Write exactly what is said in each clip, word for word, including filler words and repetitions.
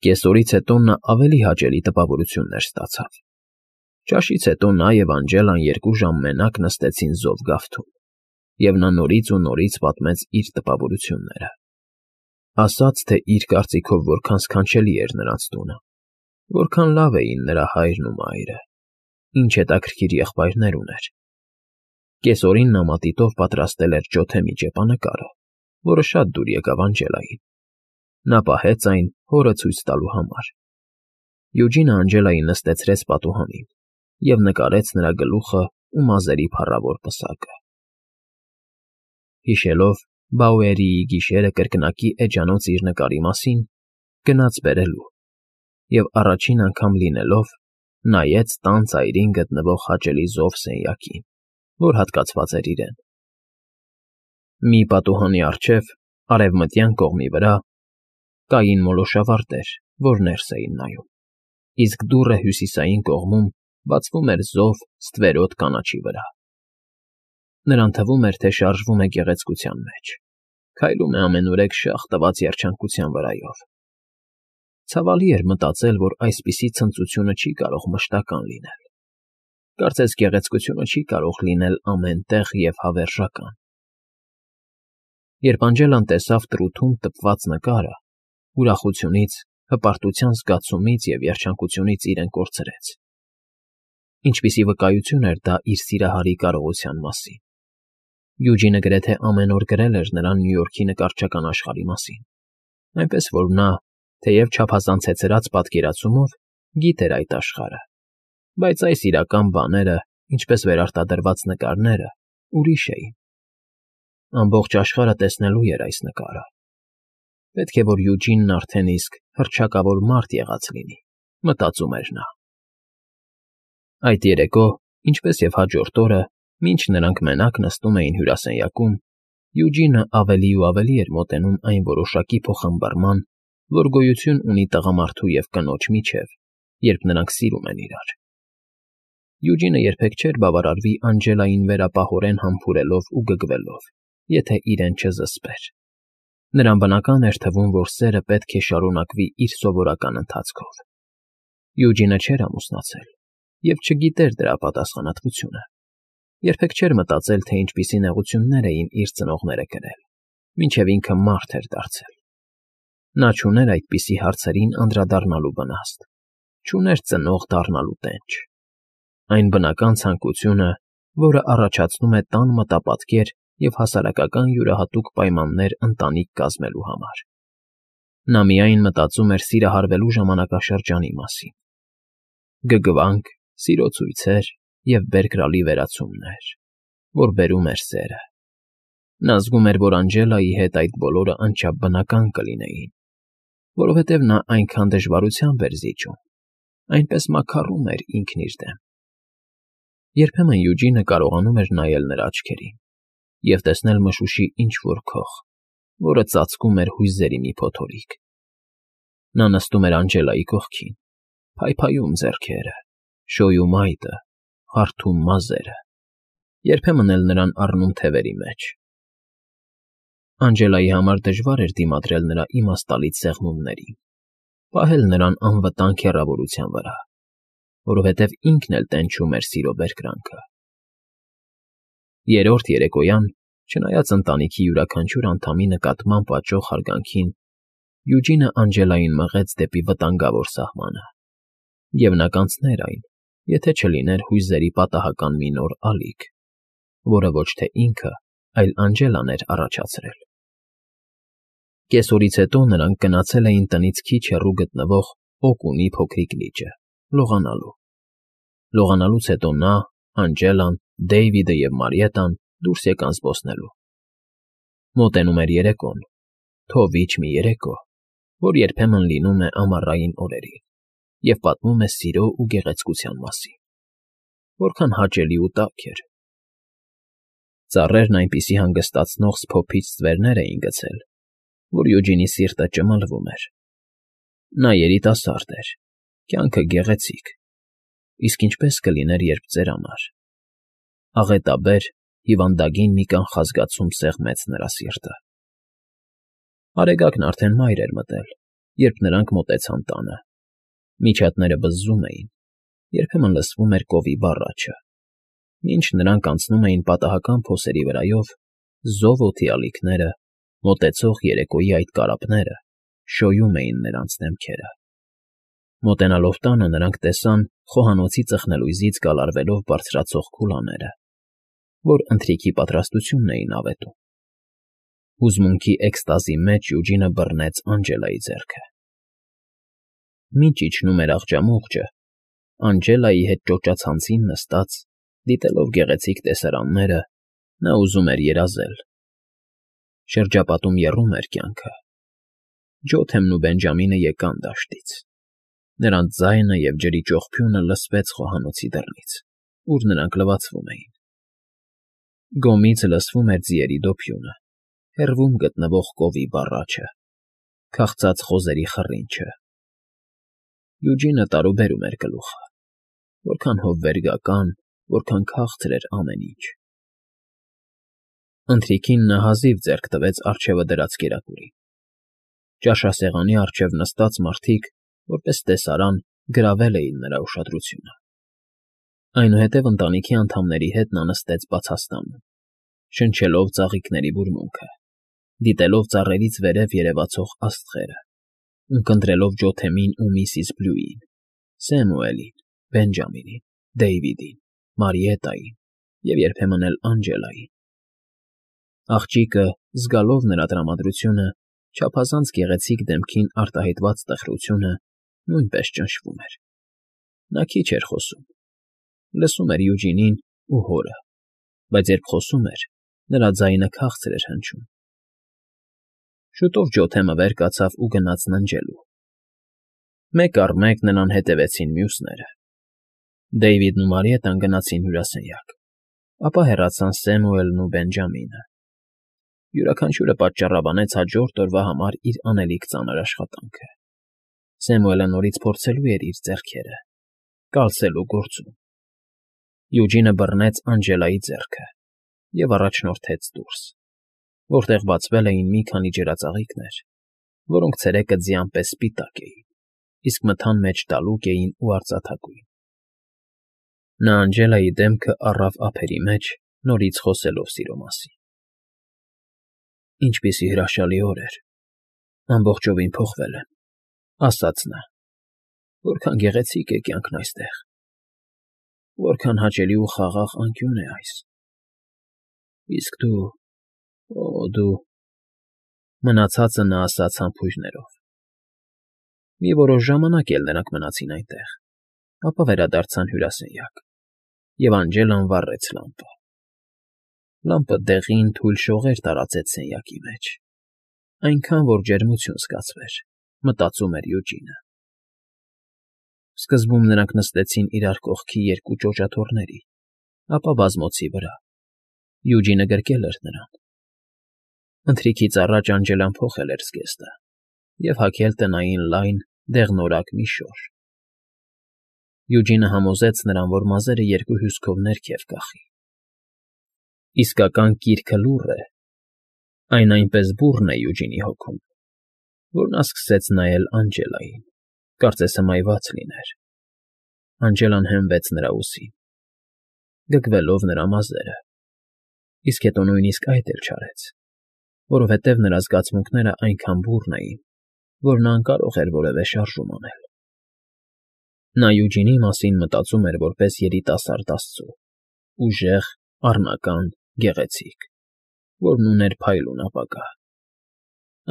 Կեսօրից հետո նա ավելի հաճելի տպավորություններ ստացավ։ Ճաշից հետո նա և Անջելան երկու ժամ մենակ նստեցին զով գավթում, և նա նորից ու նորից պատմեց իր տպավորությունները. ասաց, թե իր կարծիքով որքան սքանչելի էր նրանց տունը, որքան լավ էին նրա հայրն ու մայրը, ինչ հետաքրքիր եղբայրներ ուներ։ Կեսօրին նա մատիտով պատրաստել էր ջոթեմի ճեպանկարը, որը շատ դուր եկավ Անջելային։ Նա պահեց այն հորը ցույց տալու համար։ Յուջինը Անջելային նստացրեց պատուհանին և նկարեց նրա գլուխն ու մազերի փառավոր պսակը։ Հիշելով Բաուերիի գիշերը կրկնակի էջանոց իր նկարի մասին, գնաց բերելու և, առաջին անգամ լինելով, նայեց տան ծայրին գտնվող հաճելի զով սենյակին, որ հատկացված էր իրեն։ Մի պատուհանի առջև, արևմտյան կողմի վրա, կային մոլոշավարտեր, որ ներս էին նայում, իսկ դուռը հյուսիսային կողմում բացվում էր զով ստվերոտ կանաչի վրա։ Նրան թվում էր, թե շարժվում է գեղեցկության մեջ, քայլում է ամենուրեք շաղ տված երջանկության վրայով։ Ցավալի էր մտածել, որ այսպիսի ցնծությունը չի կարող մշտական լինել։ Կարծես գեղեցկությունը չի կարող լինել ամեն տեղ և հավերժական։ Երբ Անջելան տեսավ տրութում տպված նկարը, ուրախությունից, հպարտության զգացումից և երջանկությունից իրեն կորցրեց։ Ինչպիսի վկայություն էր դա իր սիրահարի կարողության մասին։ Յուջինը գրեթե ամեն օր գրել էր նրան Նյու Յորքի նկարչական աշխարհի մասին, այնպես որ նա, թեև չափազանց հեծրած պատկերացումով, գիտեր այդ աշխարհը, բայց այս իրական բաները, ինչպես վերարտադրված նկարները, ուրիշ էին։ Ամբողջ աշխարհը տեսնելու էր այս նկարը։ Պետք է որ Յուջինն արդեն իսկ հռչակավոր մարդ եղած լինի, մտածում էր նա։ Այդ երեկո, ինչպես և հաջորդ օրը, մինչ նրանք մենակ նստում էին հյուրասենյակում, Յուջինը ավելի ու ավելի էր մոտենում այն որոշակի փոխամբռնման, որ գոյություն ունի տղամարդու և կնոջ միջև, երբ նրանք սիրում են իրար։ Յուջինը երբեք չէր բավարարվի Անջելային վերապահորեն համբուրելով ու գգվելով, եթե իրեն չզսպեր։ Նրան բնական էր թվում, որ սերը պետք է շարունակվի իր սովորական ընթացքով։ Յուջինը չէր ամուսնացել և չգիտեր դրա պատասխանատվությունը։ Երբեք չէր մտածել, թե ինչպիսի նեղություններ էին իր ծնողները կրել, մինչև ինքը մարդ էր դարձել։ Նա չուներ այդպիսի հարցերին անդրադառնալու վնաստ, չուներ ծնող դառնալու տենչ։ Այն բնական ցանկությունը, որը առաջացնում է տան մտապատկեր և հասարակական յուրահատուկ պայմաններ ընտանիք կազմելու համար։ Նա միայն մտածում էր սիրահարվելու ժամանակաշրջանի մասին. գգվանք, սիրո ցույցեր և բերկրալի վերացումներ, որ բերում էր սերը։ Նա զգում էր, որ Անջելայի հետ այդ բոլորը անչափ բնական կլինեին, որովհետև նա այնքան դժվարությամբ էր զիջում, այնպես մաքարում էր ինքն իր դեմ։ Երբեմն Յուջինը կարողանում էր նայել նրա աչքերին և տեսնել մշուշի ինչ֊որ քող, որը ծածկում էր հույզերի մի փոթորիկ։ Նա նստում էր Անջելայի կողքին, փայփայում ձեռքերը, շոյում այտը, հարթում մազերը, երբեմն էլ նրան առնում թևերի մեջ։ Անջելայի համար դժվար էր դիմադրել նրա իմաստալից սեղմումներին, պահել նրան անվտանգ հեռավորության վրա, որովհետև ինքն էլ տենչում էր սիրո բերկրանքը։ Երրորդ երեկոյան, չնայած ընտանիքի յուրաքանչյուր անդամի նկատմամբ աճող հարգանքին, Յուջինը Անջելային մղեց դեպի վտանգավոր սահմանը, և նա կանցներ այն, եթե չլիներ հույզերի պատահական մի նոր ալիք, որը ոչ թե ինքը, այլ Անջելան էր առաջացրել։ Կեսօրից հետո նրանք գնացել էին տնից քիչ հեռու գտնվող Օկունի փոքրիկ լիճը՝ լողանալու։ Լողանալուց հետո նա, Անջելան, Դեյվիդը և Մարիետան դուրս եկան զբոսնելու։ Մոտենում էր երեկոն, թովիչ մի երեկո, որ երբեմն լինում է ամառային օրերին և պատմում է սիրո ու գեղեցկության մասին։ Որքան հաճելի ու տաք էր։ Ծառերն այնպիսի հանգստացնող սփոփիչ ստվերներ էին գցել, որ Յուջինի սիրտը ճմլվում էր։ Նա երիտասարդ էր, կյանքը գեղեցիկ, իսկ ինչպե՞ս կլիներ, երբ ծերանար։ Աղետաբեր, հիվանդագին մի կանխազգացում սեղմեց նրա սիրտը։ Արեգակն արդեն մայր էր մտել, երբ նրանք մոտեցան տանը։ Միջատները բզզում էին, երբեմն լսվում էր կովի բառաչը։ Մինչ նրանք անցնում էին պատահական փոսերի վրայով, զով օդի ալիքները, մոտեցող երեկոյի այդ կարապները շոյում էին նրանց դեմքերը։ Մոտենալով տանը նրանք տեսան խոհանոցի ծխնելույզից գալարվելով բարձրացող քուլաները, որ ընթրիքի պատրաստությունն էին ավետում։ Հուզմունքի էքստազի մեջ Յուջինը բռնեց Անջելայի ձեռքը։ Մինչ իջնում էր աղջամուղջը, Անջելայի հետ ճոճացանցին նստած, դիտելով գեղեցիկ տեսարանները, նա ուզում էր երազել։ Շրջապատում եռում էր կյանքը։ Ջոթեմն ու Բենջամինը եկան դաշտից։ Նրանց ձայնը և ջրի ճողփյունը լսվեց խոհանոցի դռնից, ուր նրանք լվացվում էին։ Գոմից լսվում էր ձիերի դոփյունը, հեռվում գտնվող կովի բառաչը, քաղցած խոզերի խռինչը։ Յուջինը տարուբերում էր գլուխը. որքան հովվերգական, որքան քաղցր էր ամեն ինչ։ Ընթրիքին նա հազիվ ձեռք տվեց առջևը դրած կերակուրին։ Ճաշասեղանի առջև նստած մարդիկ, որպես տեսարան, գրավել էին նրա ուշադրությունը։ Այնուհետև ընտանիքի անդամների հետ նա նստեց բացաստանում, շնչելով ծաղիկների բուրմունքը, դիտելով ծառերից վերև երևացող աստղերը, ունկնդրելով Ջոթեմին ու միսիս Բլյուին, Սեմուելին, Բենջամինին, Դեյվիդին, Մարիետային և երբեմն էլ Անջելային։ Աղջիկը, զգալով նրա տրամադրությունը, չափազանց գեղեցիկ դեմքին արտահայտված տխրությունը, նույնպես ճնշվում էր։ Նա քիչ էր խոսում, լսում էր Յուջինին ու հորը, բայց երբ խոսում էր, նրա ձայնը քաղցր էր հնչում։ Շուտով Ջոթեմը վեր կացավ ու գնաց ննջելու։ Մեկ առ մեկ նրան հետևեցին մյուսները։ Դեյվիդն ու Մարիետան գնացին հյուրասենյակ, ապա հեռացան Սեմուելն ու Բենջամինը։ Յուրաքանչյուրը պատճառաբանեց հաջորդ օրվա համար իր անելիք ծանր աշխատանքը։ Սեմուելը նորից փորձելու էր իր ձեռքերը, կալսելու գործում։ Յուջինը բռնեց Անջելայի ձեռքը և առաջնորդեց դուրս, որտեղ բացվել էին մի քանի ջրածաղիկներ, որոնք ցերեկը ձյան պես սպիտակ էին, իսկ մթան մեջ տալուկ էին ու արծաթագույն։ Նա Անջելայի դեմքը առավ ափերի մեջ, նորից խոսելով սիրո մասին։ Ինչպիսի հրաշալի օր էր, ամբողջովին փոխվել եմ, ասաց նա, որքան գեղեցիկ է կյանքն այստեղ, որքան հաճելի ու խաղաղ անկյուն է այս։ Իսկ դու, օ, դու… Մնացածը նա ասաց համբույրներով։ Մի որոշ ժամանակ էլ նրանք մնացին այնտեղ, ապա վերադարձան հյուրասենյակ, և Անջելան վառեց լամպը։ Լամպը դեղին, թույլ շողեր տարածեց սենյակի մեջ, այնքան, որ ջերմություն զգացվեր, մտածում էր Յուջինը։ Սկզբում նրանք նստեցին իրար կողքի երկու ճոճաթոռների, ապա բազմոցի վրա։ Յուջինը գրկել էր նրան։ Ընթրիքից առաջ Անջելան փոխել էր զգեստը և հագել տնային լայն, դեղնորակ մի շոր։ Յուջինը համոզեց նրան, որ մազերը երկու հյուսքով ներքև կախի։ Իսկական կիրքը լուռ է, այն այնպես բուռն է Յուջինի հոգում, որ նա սկսեց նայել Անջելային, կարծես հմայված լիներ։ Անջելան հենվեց նրա ուսին, գգվելով նրա մազերը, իսկ հետո նույնիսկ այդ էլ չարեց, որովհետև նրա զգացմունքները այնքան բուռն էին, որ նա անկարող էր որևէ շարժում անել։ Նա Յուջինի մասին մտածում էր որպես երիտասարդ աստծու, ուժեղ, առնական, գեղեցիկ, որն ուներ փայլուն ապագա։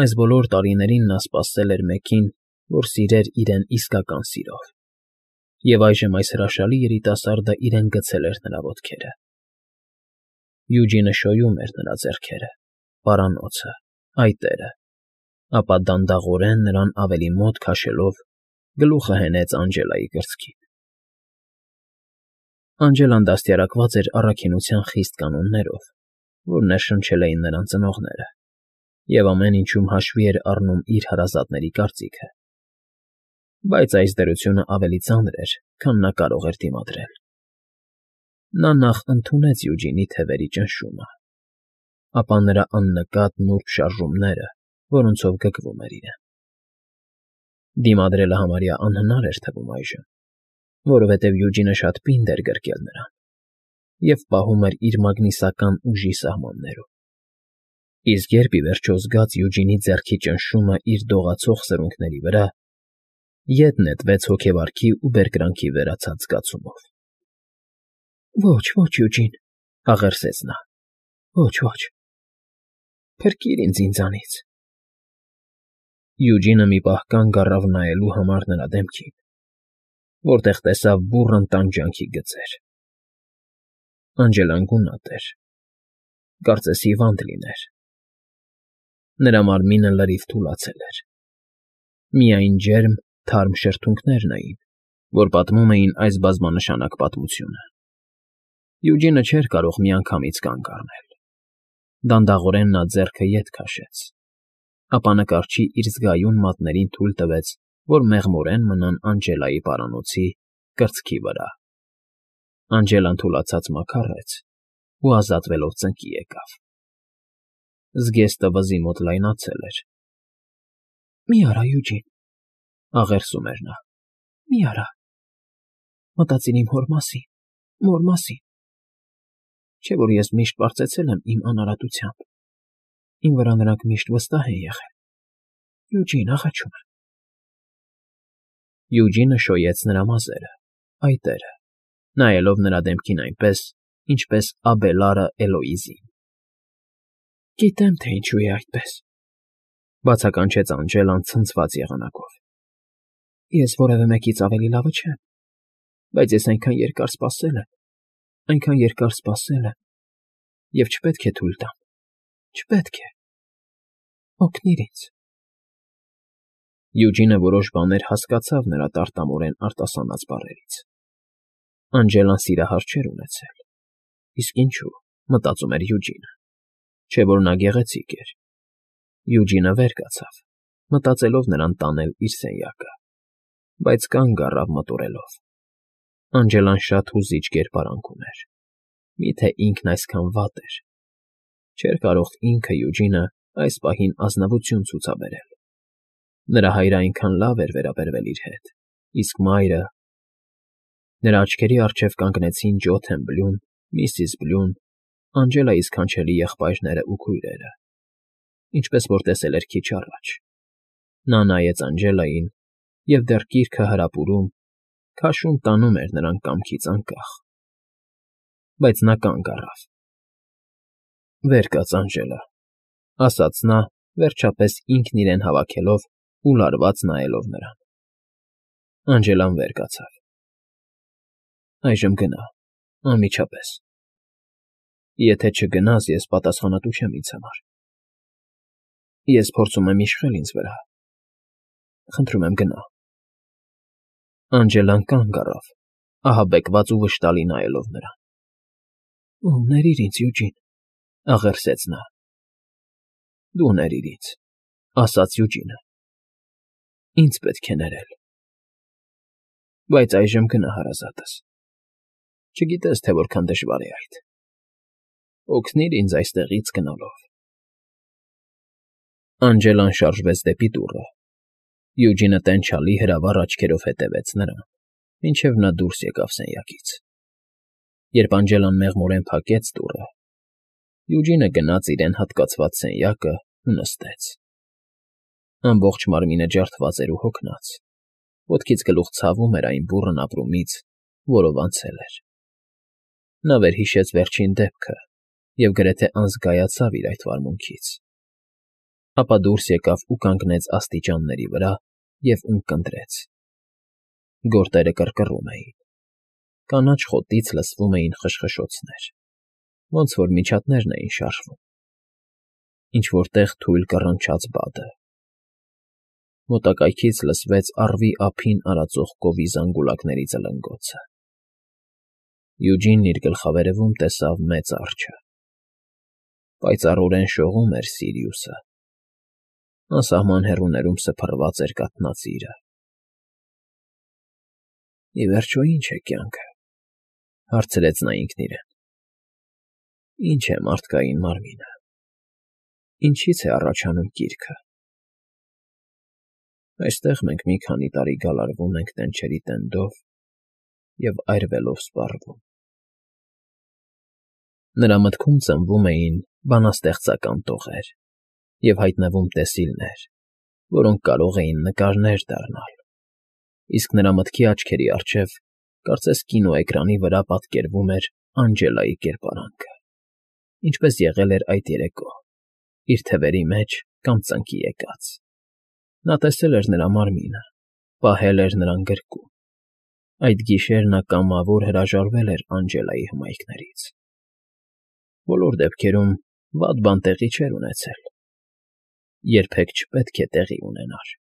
Այս բոլոր տարիներին նա սպասել էր մեկին, որ սիրեր իրեն իսկական սիրով, և այժմ այս հրաշալի երիտասարդը իրեն գցել էր նրա ոտքերը։ Յուջինը շոյում էր նրա ձեռքերը, պարանոցը, այտերը, ապա դանդաղորեն նրան ավելի մոտ քաշելով գլուխը հենեց Անջելայի կրծքին։ Անջելան դաստիարակված էր առաքինության խիստ կանոններով, որ ներշնչել էին նրան ծնողները, և ամեն ինչում հաշվի էր առնում իր հարազատների կարծիքը։ Բայց այս դրությունը ավելի ծանր էր, քան նա կարող էր դիմադրել։ Նա նախ ընդունեց Յուջինի թևերի ճնշումը, ապա նրա աննկատ նուրբ շարժումները, որոնցով գկվում էր իրեն։ Դիմադրելը համարյա անհնար էր թվում այժմ, որովհետև Յուջինը շատ պինդ էր գրկել նրան և պահում էր իր մագնիսական ուժի սահմաններում, իսկ երբ ի վերջո զգաց Յուջինի ձեռքի ճնշումը իր դողացող սրունքների վրա, ետ նետվեց հոգեվարքի ու բերկրանքի վերացած զգացումով։ ֊ Ոչ, ոչ, Յուջին,֊ աղերսեց նա,֊ ոչ, ոչ… Փրկիր ինձ ինձանից… Յուջինը մի պահ կանգ առավ նայելու համար նրա դեմքին, որտեղ տեսավ բուռն տանջանքի գծեր… Անջելան գունատ էր, կարծես հիվանդ լիներ… Նրա մարմինը լրիվ թուլացել էր… Միայն ջերմ, թարմ շրթունքներն էին, որ պատմում էին այս բազմանշանակ պատմությունը… Յուջինը չէր կարող միանգամից կանգ առնել… Դանդաղորեն նա ձեռքը ետ քաշեց, ապա նկարչի իր զգայուն մատներին թույլ տվեց, որ մեղմորեն մնան Անջելայի պարանոցի կրծքի վրա… Անջելան թուլացած մաքարեց ու ազատվելով ծնկի եկավ… Զգեստը վզի մոտ լայնացել էր… ֊ Մի արա, Յուջին,֊ աղերսում էր նա,֊ մի արա… Մտածիր իմ հոր մասին, մոր մասին… Չէ՞ որ ես միշտ պարծեցել եմ իմ անարատությամբ, իմ վրա նրանք միշտ վստահ են եղել… Յուջին, աղաչում եմ… Յուջինը շոյեց նրա մազերը, այտերը, նայելով նրա դեմքին այնպես, ինչպես Աբելարը Էլոիզին։ ֊ Գիտեմ, թե ինչու է այդպես,֊ բացականչեց Անջելան ցնցված եղանակով։ Ես որևէ մեկից ավելի լավը չեմ, բայց ես այնքան երկար սպասել եմ, այնքան երկար սպասել եմ և չպետք է թույլ տամ, չպետք է… Օգնիր ինձ… Յուջինը որոշ բաներ հասկացավ նրա տարտամորեն արտասանած բառերից… Անջելան սիրահար չէր ունեցել… Իսկ ինչու, մտածում էր Յուջինը, չէ՞ որ նա գեղեցիկ էր… Յուջինը վեր կացավ, մտածելով նրան տանել իր սենյակը, բայց կանգ առավ մտորելով. Անջելան շատ հուզիչ կերպարանք ուներ… Մի՞թե ինքն այսքան վատ էր… Չէր կարող ինքը՝ Յուջինը, այս պահին ազնվություն ցուցաբերել… Նրա հայրը այնքան լավ էր վերաբերվել իր հետ, իսկ մայրը… Նրա աչքերի առջև կանգնեցին Ջոթեն Բլյուն, միսիս Բլյուն, Անջելայի սքանչելի եղբայրներն ու քույրերը, ինչպես որ տեսել էր քիչ առաջ… Նա նայեց Անջելային և դեռ կիրքը հրապուրում, քաշում տանում էր նրան կամքից անկախ… Բայց նա կանգ առավ… ֊ Վեր կաց, Անջելա,֊ ասաց նա, վերջապես ինքն իրեն հավաքելով ու լարված նայելով նրան… Անջելան վեր կացավ… ֊ Այժմ գնա, անմիջապես… Եթե չգնաս, ես պատասխանատու չեմ ինձ համար… Ես փորձում եմ իշխել ինձ վրա… Խնդրում եմ, գնա… Անջելան կանգ առավ, ահաբեկված ու վշտալի նայելով նրան… Օ՜, ներիր ինձ, Յուջին,֊ աղերսեց նա… Դու ներիր ինձ,֊ ասաց Յուջինը… Ինձ պետք է ներել… Բայց այժմ գնա հարազատս… Չգիտես, թե որքան դժվար է այդ… Օգնիր ինձ այստեղից գնալով… Անջելան շարժվեց դեպի դուռը… Յուջինը տենչալի հրավառ աչքերով հետևեց նրան, մինչև նա դուրս եկավ սենյակից… Երբ Անջելան մեղմորեն փակեց դուռը, Յուջինը գնաց իրեն հատկացված սենյակն ու նստեց… Ամբողջ մարմինը ջարդված էր ու հոգնած, ոտքից գլուխ ցավում էր այն բուռն ապրումից, որով անցել էր… Նա վերհիշեց վերջին դեպքը և գրեթե անզգայացավ իր այդ վարմունքից… Ապա դուրս եկավ ու կանգնեց աստիճանների վրա և ունկնդրեց… Գորտերը կռկռում էին… Կանաչ խոտից լսվում էին խշխշոցներ, ոնց որ միջատներն էին շարժվում… Ինչ֊որ տեղ թույլ կռնչաց բադը… Մոտակայքից լսվեց առվի ափին արածող կովի զանգուլակների ծլնգոցը… Յուջինն իր գլխավերևում տեսավ մեծ արջը… Պայծառորեն շողում էր Սիրիուսը… Անսահման հեռուներում սփռված էր կաթնածիրը… Ի վերջո, ի՞նչ է կյանքը,֊ հարցրեց նա ինքն իրեն… Ի՞նչ է մարդկային մարմինը… Ինչի՞ց է առաջանում կիրքը… Այստեղ մենք մի քանի տարի գալարվում ենք տենչերի տենդով և այրվելով սպառվում»։ Նրա մտքում ծնվում էին բանաստեղծական տողեր և հայտնվում տեսիլներ, որոնք կարող էին նկարներ դառնալ, իսկ նրա մտքի աչքերի առջև կարծես կինոէկրանի վրա պատկերվում էր Անջելայի կերպարանքը, ինչպես եղել էր այդ երեկո, իր թևերի մեջ կամ ծնկի եկած. նա տեսել էր նրա մարմինը, պահել էր նրան գրկում, այդ գիշեր նա կամավոր հրաժարվել էր Անջելայի հմայքներից։ Բոլոր դեպքերում վատ բան տեղի չէր ունեցել, երբեք չպետք է տեղի ունենար։